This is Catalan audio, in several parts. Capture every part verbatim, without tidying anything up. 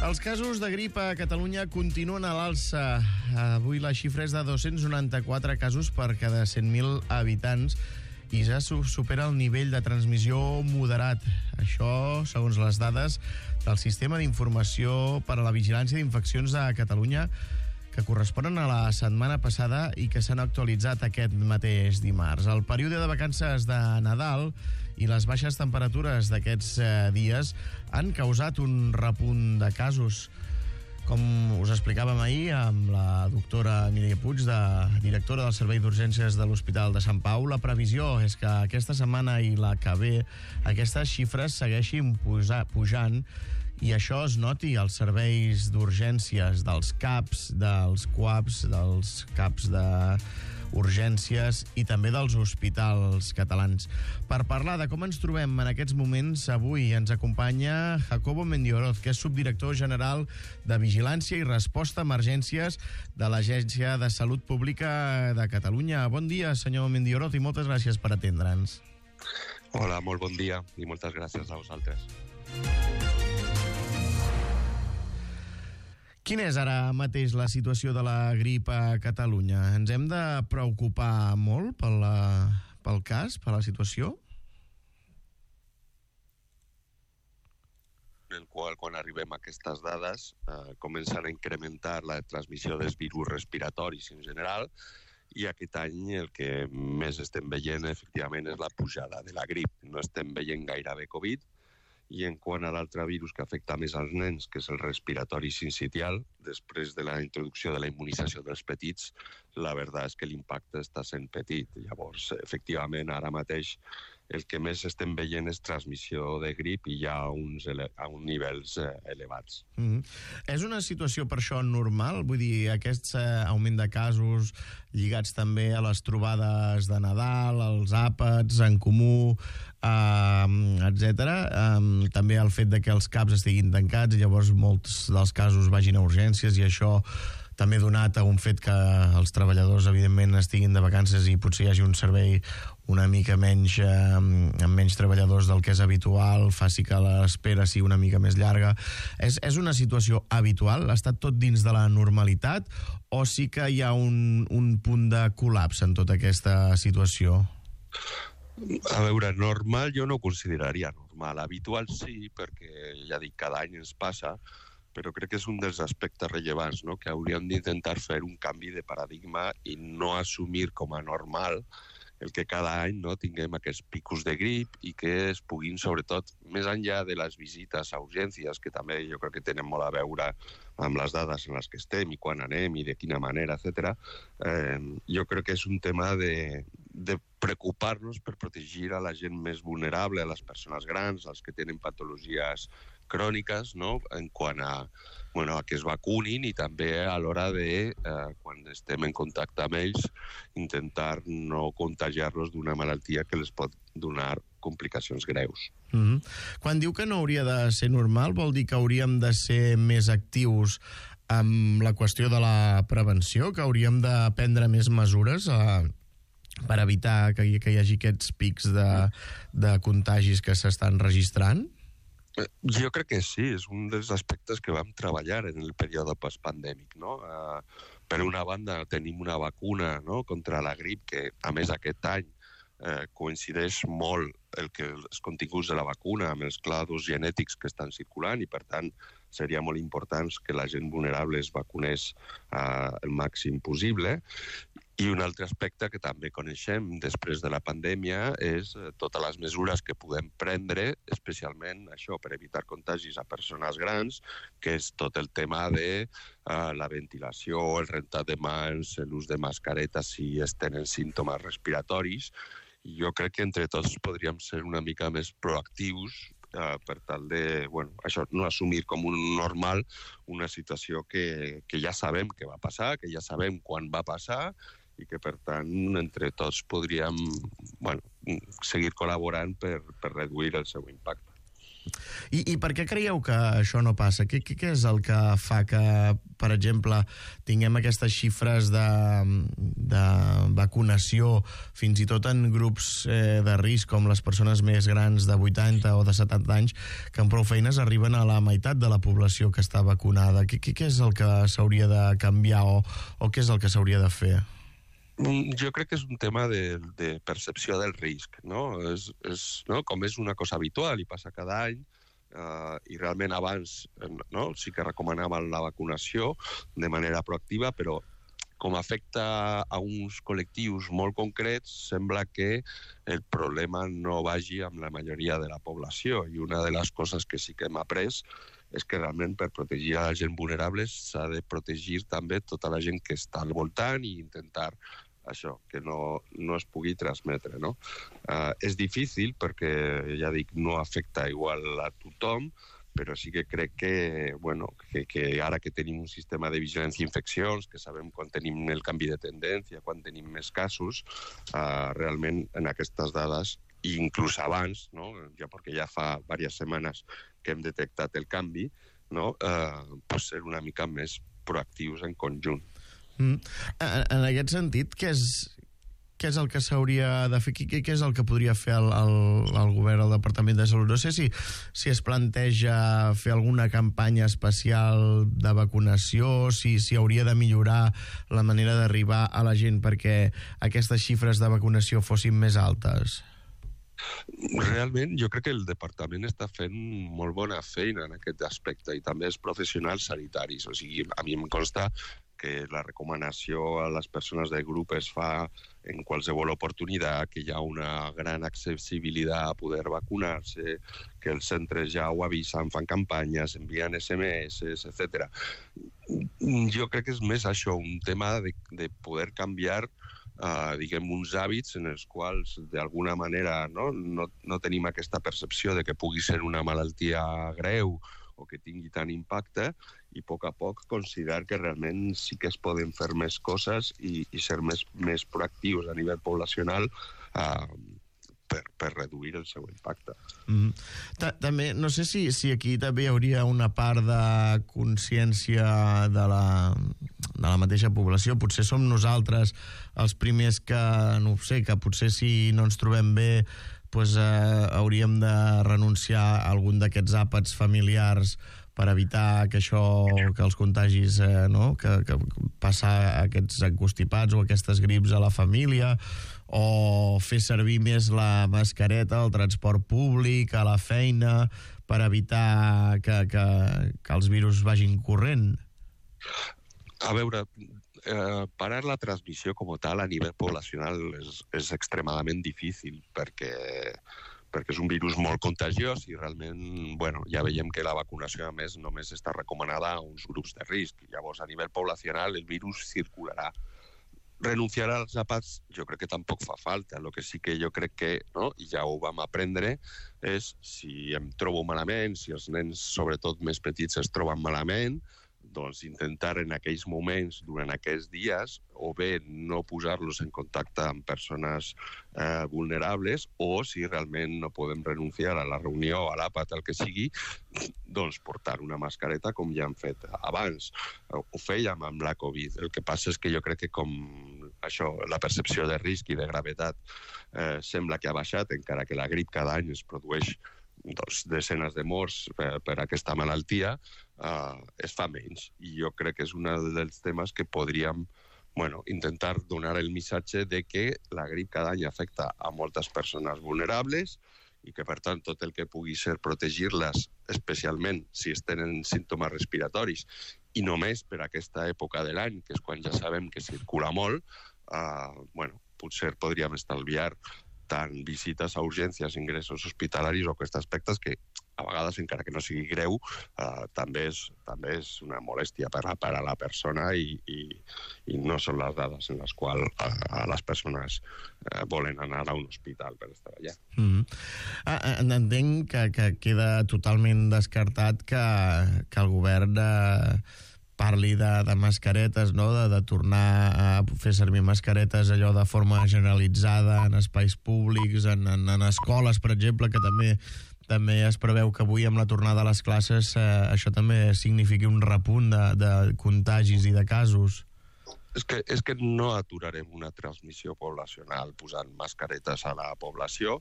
Els casos de grip a Catalunya continuen a l'alça. Avui la xifra és de dos-cents noranta-quatre casos per cada cent mil habitants i ja supera el nivell de transmissió moderat. Això, segons les dades del Sistema d'Informació per a la Vigilància d'Infeccions de Catalunya, que corresponen a la setmana passada i que s'han actualitzat aquest mateix dimarts. El període de vacances de Nadal i les baixes temperatures d'aquests dies han causat un repunt de casos. Com us explicàvem ahir amb la doctora Mireia Puig, de, directora del Servei d'Urgències de l'Hospital de Sant Pau, la previsió és que aquesta setmana i la que ve aquestes xifres segueixin puja, pujant i això es noti als serveis d'urgències dels CAPs, dels CUAPs, dels CAPs d'urgències i també dels hospitals catalans. Per parlar de com ens trobem en aquests moments, avui ens acompanya Jacobo Mendioroz, que és subdirector general de Vigilància i Resposta a Emergències de l'Agència de Salut Pública de Catalunya. Bon dia, senyor Mendioroz, i moltes gràcies per atendre'ns. Hola, molt bon dia i moltes gràcies a vosaltres. Quina és ara mateix la situació de la grip a Catalunya? Ens hem de preocupar molt pel, pel cas, per la situació? En el qual, quan arribem a aquestes dades, eh, comencen a incrementar la transmissió dels virus respiratoris en general, i aquest any el que més estem veient, efectivament, és la pujada de la grip. No estem veient gairebé Covid, i en quant a l'altre virus que afecta més als nens, que és el respiratori sincitial, després de la introducció de la immunització dels petits, la veritat és que l'impacte està sent petit. Llavors, efectivament, ara mateix el que més estem veient és transmissió de grip i ja a uns, ele- a uns nivells eh, elevats. Mm-hmm. És una situació per això normal? Vull dir, aquest eh, augment de casos lligats també a les trobades de Nadal, als àpats en comú, eh, etcètera. Eh, també el fet de que els CAPs estiguin tancats i llavors molts dels casos vagin a urgències, i això també donat a un fet que els treballadors, evidentment, estiguin de vacances i potser hi hagi un servei una mica menys, eh, amb menys treballadors del que és habitual, faci que l'espera sigui una mica més llarga. És, és una situació habitual? Està tot dins de la normalitat? O sí que hi ha un, un punt de col·lapse en tota aquesta situació? A veure, normal jo no ho consideraria normal. Habitual sí, perquè ja dic, cada any ens passa, però crec que és un dels aspectes rellevants, no? Que hauríem d'intentar fer un canvi de paradigma i no assumir com a normal el que cada any no, tinguem aquests picos de grip i que es puguin, sobretot, més enllà de les visites a urgències, que també jo crec que tenen molt a veure amb les dades en les que estem i quan anem i de quina manera, etcètera. Eh, jo crec que és un tema de, de preocupar-nos per protegir a la gent més vulnerable, a les persones grans, als que tenen patologies cròniques, no? En quant a, bueno, a que es vacunin i també a l'hora de, eh, quan estem en contacte amb ells, intentar no contagiar-los d'una malaltia que les pot donar complicacions greus. Mm-hmm. Quan diu que no hauria de ser normal, vol dir que hauríem de ser més actius amb la qüestió de la prevenció, que hauríem de prendre més mesures a, per evitar que hi, que hi hagi aquests pics de, de contagis que s'estan registrant? Jo crec que sí, és un dels aspectes que vam treballar en el període postpandèmic, no? Uh, per una banda tenim una vacuna, no?, contra la grip que, a més, aquest any uh, coincideix molt el que els continguts de la vacuna amb els cladus genètics que estan circulant i, per tant, seria molt important que la gent vulnerable es vacunés uh, el màxim possible. I un altre aspecte que també coneixem després de la pandèmia és totes les mesures que podem prendre, especialment això per evitar contagis a persones grans, que és tot el tema de uh, la ventilació, el rentat de mans, l'ús de mascaretes si es tenen símptomes respiratoris. I jo crec que entre tots podríem ser una mica més proactius uh, per tal de, bueno, això, no assumir com un normal una situació que, que ja sabem que va passar, que ja sabem quan va passar, i que, per tant, entre tots podríem, bueno, seguir col·laborant per, per reduir el seu impacte. I, I per què creieu que això no passa? Què, què, què és el que fa que, per exemple, tinguem aquestes xifres de, de vacunació fins i tot en grups eh, de risc, com les persones més grans de vuitanta o de setanta anys, que amb prou feines arriben a la meitat de la població que està vacunada? Què, què, què és el que s'hauria de canviar o, o què és el que s'hauria de fer? Jo crec que és un tema de, de percepció del risc, no? És, és, no? Com és una cosa habitual i passa cada any, eh, i realment abans no? sí que recomanàvem la vacunació de manera proactiva, però com afecta a uns col·lectius molt concrets, sembla que el problema no vagi amb la majoria de la població. I una de les coses que sí que hem après és que realment per protegir a la gent vulnerable s'ha de protegir també tota la gent que està al voltant i intentar això, que no, no es pugui transmetre, no? Uh, és difícil perquè, ja dic, no afecta igual a tothom, però sí que crec que, bueno, que, que ara que tenim un sistema de vigilància d'infeccions, que sabem quan tenim el canvi de tendència, quan tenim més casos, uh, realment en aquestes dades, i inclús abans, no? ja perquè ja fa diverses setmanes que hem detectat el canvi, no? uh, pues ser una mica més proactius en conjunt. Mm. En aquest sentit, què és, què és el que s'hauria de fer? Què, què és el que podria fer el, el, el govern, el Departament de Salut? No sé si, si es planteja fer alguna campanya especial de vacunació, si, si hauria de millorar la manera d'arribar a la gent perquè aquestes xifres de vacunació fossin més altes. Realment, jo crec que el departament està fent molt bona feina en aquest aspecte i també els professionals sanitaris. O sigui, a mi em consta que la recomanació a les persones del grup es fa en qualsevol oportunitat, que hi ha una gran accessibilitat a poder vacunar-se, que els centres ja ho avisen, fan campanyes, envien esse eme esse, etcètera. Jo crec que és més això, un tema de, de poder canviar Uh, diguem, uns hàbits en els quals d'alguna manera no, no, no tenim aquesta percepció de que pugui ser una malaltia greu o que tingui tant impacte i a poc a poc considerar que realment sí que es poden fer més coses i, i ser més, més proactius a nivell poblacional uh, per, per reduir el seu impacte. Mm. També, no sé si, si aquí també hi hauria una part de consciència de la, de la mateixa població. Potser som nosaltres els primers que, no ho sé, que potser si no ens trobem bé pues, eh, hauríem de renunciar a algun d'aquests àpats familiars per evitar que això, que els contagis, eh, no? que, que passar aquests encostipats o aquestes grips a la família, o fer servir més la mascareta al transport públic, a la feina, per evitar que, que, que els virus vagin corrent? A veure, eh, parar la transmissió com a tal a nivell poblacional és, és extremadament difícil perquè, perquè és un virus molt contagiós i realment, bueno, ja veiem que la vacunació, a més, només està recomanada a uns grups de risc. Llavors, a nivell poblacional, el virus circularà. Renunciar als àpats jo crec que tampoc fa falta. El que sí que jo crec que, no, i ja ho vam aprendre, és si em trobo malament, si els nens, sobretot més petits, es troben malament, doncs intentar en aquells moments, durant aquests dies, o bé no posar-los en contacte amb persones eh, vulnerables, o si realment no podem renunciar a la reunió, a l'àpat, el que sigui, doncs portar una mascareta com ja hem fet abans. Ho fèiem amb la Covid. El que passa és que jo crec que com això, la percepció de risc i de gravetat eh, sembla que ha baixat, encara que la grip cada any es produeix doncs, desenes de morts per, per aquesta malaltia, uh, es fa menys. I jo crec que és un dels temes que podríem bueno, intentar donar el missatge de que la grip cada any afecta a moltes persones vulnerables i que, per tant, tot el que pugui ser protegir-les, especialment si es tenen símptomes respiratoris, i només per aquesta època de l'any, que és quan ja sabem que circula molt, uh, bueno, potser podríem estalviar tant visites a urgències, ingressos hospitalaris o aquests aspectes que a vegades, encara que no sigui greu, eh, també, és, també és una molèstia per a, per a la persona i, i, i no són les dades en les quals eh, les persones eh, volen anar a un hospital per estar allà. Mm-hmm. ah, entenc que, que queda totalment descartat que, que el govern eh, parli de, de mascaretes, no? de, de tornar a fer servir mascaretes allò de forma generalitzada en espais públics, en, en, en escoles, per exemple, que també també es preveu que avui, amb la tornada a les classes, eh, això també signifiqui un repunt de, de contagis i de casos. És que, és que no aturarem una transmissió poblacional posant mascaretes a la població,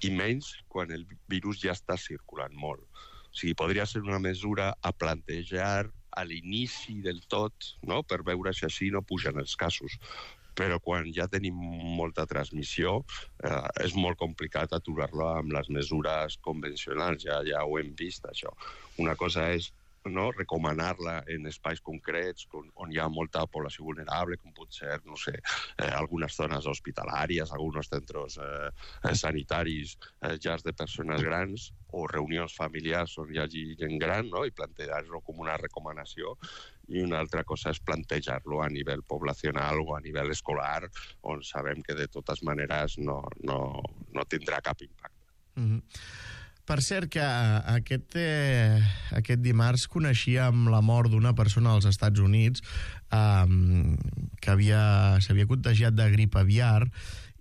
i menys quan el virus ja està circulant molt. O sigui, podria ser una mesura a plantejar a l'inici del tot, no?, per veure si així no pugen els casos. Però quan ja tenim molta transmissió, eh, és molt complicat aturar-la amb les mesures convencionals, ja, ja ho hem vist, això. Una cosa és, no?, recomanar-la en espais concrets on, on hi ha molta població vulnerable, com pot ser, no sé, eh, algunes zones hospitalàries, alguns centres eh, sanitaris, eh, llars de persones grans o reunions familiars on hi hagi gent gran, no?, i plantejar-lo com una recomanació. I una altra cosa és plantejar-lo a nivell poblacional o a nivell escolar, on sabem que de totes maneres no, no, no tindrà cap impacte. Mm-hmm. Per cert, que aquest, eh, aquest dimarts coneixíem la mort d'una persona als Estats Units eh, que havia, s'havia contagiat de grip aviar,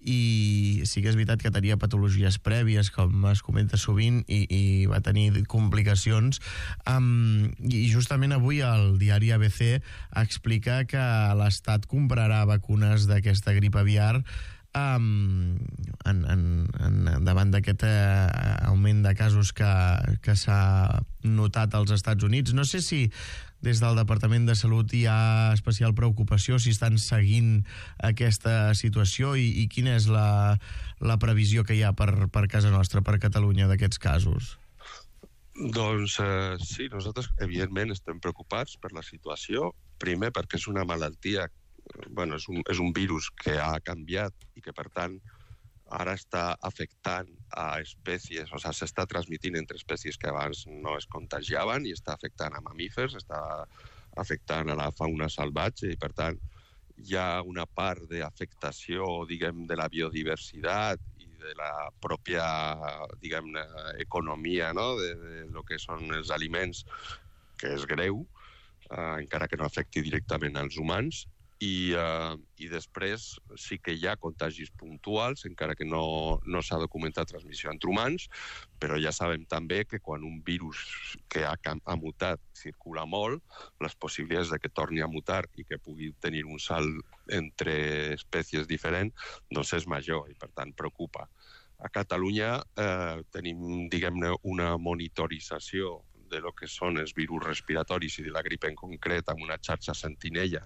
i sí que és veritat que tenia patologies prèvies, com es comenta sovint, i, i va tenir complicacions. Um, I justament avui el diari A B C explica que l'Estat comprarà vacunes d'aquesta grip aviar um, en, en, en, davant d'aquest uh, augment de casos que, que s'ha notat als Estats Units. No sé si des del Departament de Salut hi ha especial preocupació, si estan seguint aquesta situació, i, i quina és la, la previsió que hi ha per, per casa nostra, per Catalunya, d'aquests casos? Doncs eh, sí, nosaltres evidentment estem preocupats per la situació, primer perquè és una malaltia, bueno, és un, és un virus que ha canviat i que per tant ara està afectant a espècies, o sigui, s'està transmitint entre espècies que abans no es contagiaven i està afectant a mamífers, està afectant a la fauna salvatge i, per tant, hi ha una part d'afectació, diguem, de la biodiversitat i de la pròpia, diguem, economia, no?, de, de lo que són els aliments, que és greu, eh, encara que no afecti directament als humans. I, uh, i després sí que hi ha contagis puntuals, encara que no, no s'ha documentat transmissió entre humans, però ja sabem també que quan un virus que ha, ha mutat circula molt, les possibilitats de que torni a mutar i que pugui tenir un salt entre espècies diferents, doncs és major i per tant preocupa. A Catalunya eh, tenim, diguem-ne, una monitorització de lo que són els virus respiratoris i de la grip en concret, amb una xarxa sentinella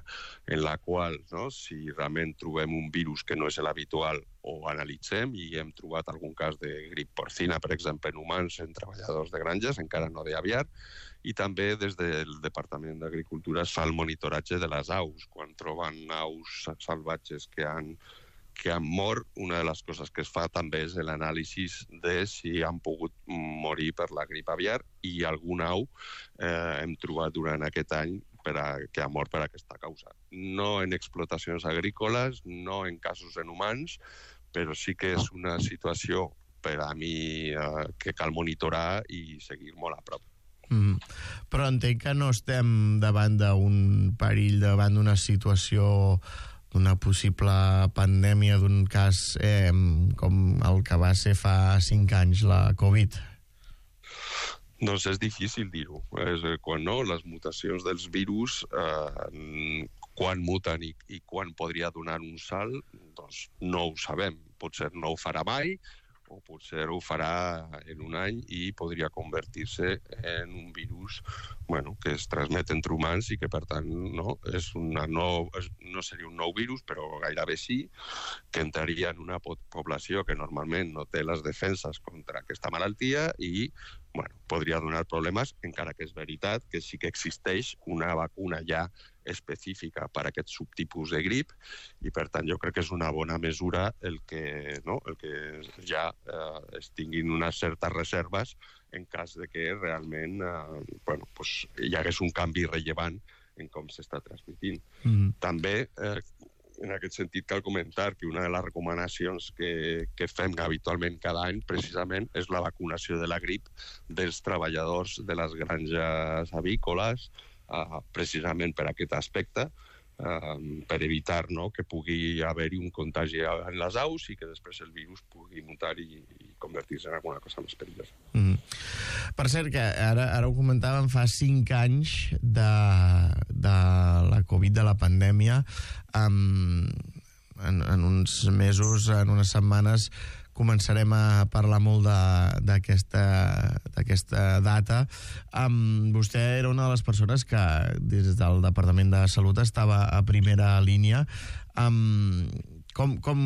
en la qual, no, si realment trobem un virus que no és l'habitual, ho analitzem, i hem trobat algun cas de grip porcina, per exemple, en humans, en treballadors de granges, encara no d'aviar, i també des del Departament d'Agricultura es fa el monitoratge de les aus. Quan troben aus salvatges que han que han mort, una de les coses que es fa també és l'anàlisi de si han pogut morir per la grip aviar, i algun au eh, hem trobat durant aquest any per a, que ha mort per aquesta causa. No en explotacions agrícoles, no en casos en humans, però sí que és una situació per a mi eh, que cal monitorar i seguir molt a prop. Mm. Però entenc que no estem davant d'un perill, davant d'una situació, d'una possible pandèmia, d'un cas eh, com el que va ser fa cinc anys, la Covid? Doncs és difícil dir-ho. És, quan no, les mutacions dels virus, eh, quan muten i, i quan podria donar un salt, doncs no ho sabem. Potser no ho farà mai, o potser ho farà en un any i podria convertir-se en un virus, bueno, que es transmet entre humans i que, per tant, no, és una nou, no seria un nou virus, però gairebé sí, que entraria en una població que normalment no té les defenses contra aquesta malaltia i, bueno, podria donar problemes, encara que és veritat que sí que existeix una vacuna ja específica per a aquest subtipus de grip, i per tant jo crec que és una bona mesura el que, no, el que ja eh, es tinguin unes certes reserves en cas de que realment eh, bueno, pues, hi hagués un canvi rellevant en com s'està transmitint. Mm-hmm. També eh, en aquest sentit cal comentar que una de les recomanacions que, que fem habitualment cada any precisament és la vacunació de la grip dels treballadors de les granges avícoles, Uh, precisament per aquest aspecte, eh, per evitar, no?, que pugui haver-hi un contagi en les aus i que després el virus pugui mutar i, i convertir-se en alguna cosa més perillosa. Mm. Per cert, que ara, ara ho comentàvem, fa cinc anys de, de la Covid, de la pandèmia. Um, en, en uns mesos, en unes setmanes, començarem a parlar molt d'aquesta data. Um, vostè era una de les persones que des del Departament de Salut estava a primera línia. Um, com, com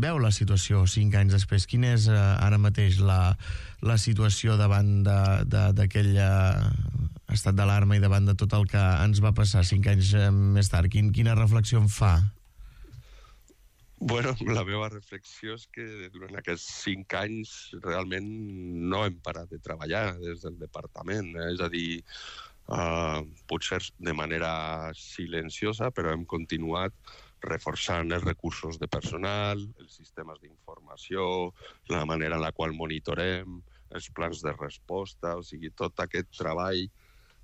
veu la situació cinc anys després? Quina és uh, ara mateix la, la situació davant d'aquell estat d'alarma i davant de tot el que ens va passar cinc anys més tard? Quin, quina reflexió en fa? Bueno, la meva reflexió és que durant aquests cinc anys realment no hem parat de treballar des del departament. És a dir, uh, potser de manera silenciosa, però hem continuat reforçant els recursos de personal, els sistemes d'informació, la manera en la qual monitorem, els plans de resposta, o sigui, tot aquest treball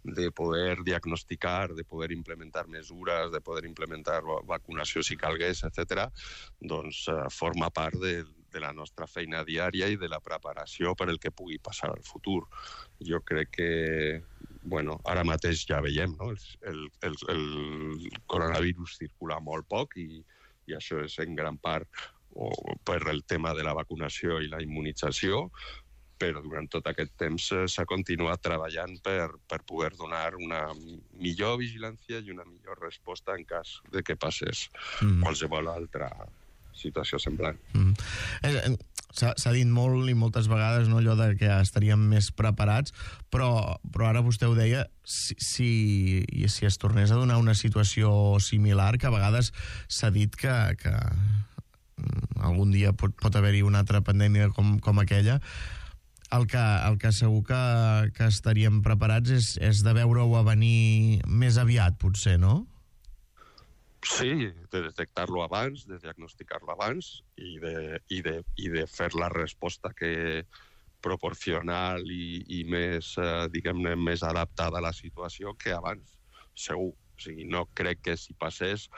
de poder diagnosticar, de poder implementar mesures, de poder implementar vacunació si calgués, etcètera, doncs eh, forma part de, de la nostra feina diària i de la preparació per el que pugui passar al futur. Jo crec que, bueno, ara mateix ja veiem, no? El, el, el coronavirus circula molt poc i, i això és en gran part o per el tema de la vacunació i la immunització, però durant tot aquest temps s'ha continuat treballant per, per poder donar una millor vigilància i una millor resposta en cas de que passés mm. qualsevol altra situació semblant. Mm. S'ha dit molt i moltes vegades, no, allò de que estaríem més preparats, però, però ara vostè ho deia, si, si, si es tornés a donar una situació similar, que a vegades s'ha dit que, que algun dia pot, pot haver-hi una altra pandèmia com, com aquella, el que, el que segur que, que estaríem preparats és, és de veure-ho a venir més aviat, potser, no? Sí, de detectar-lo abans, de diagnosticar-lo abans i de, i, de, i de fer la resposta que proporcional i, i més, eh, diguem-ne, més adaptada a la situació que abans, segur. O sigui, no crec que si passés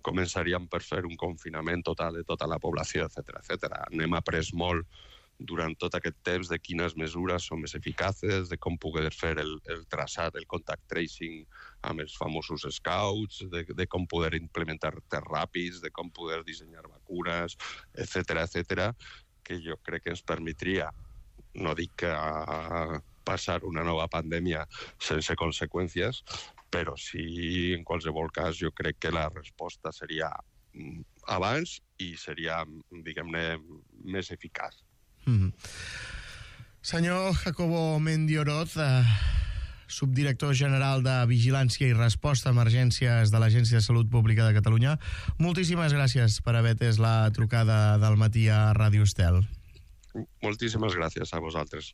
començaríem per fer un confinament total de tota la població, etcètera, etcètera. N'hem après molt durant tot aquest temps de quines mesures són més eficaces, de com poder fer el, el traçat, el contact tracing amb els famosos scouts, de, de com poder implementar tests ràpids, de com poder dissenyar vacunes, etcètera, etcètera, que jo crec que ens permetria, no dic que a passar una nova pandèmia sense conseqüències, però sí, en qualsevol cas, jo crec que la resposta seria abans i seria, diguem-ne, més eficaç. Mm. Senyor Jacobo Mendioroz, eh, subdirector general de Vigilància i Resposta a Emergències de l'Agència de Salut Pública de Catalunya, moltíssimes gràcies per haver atès la trucada del matí a Ràdio Estel. Moltíssimes gràcies a vosaltres.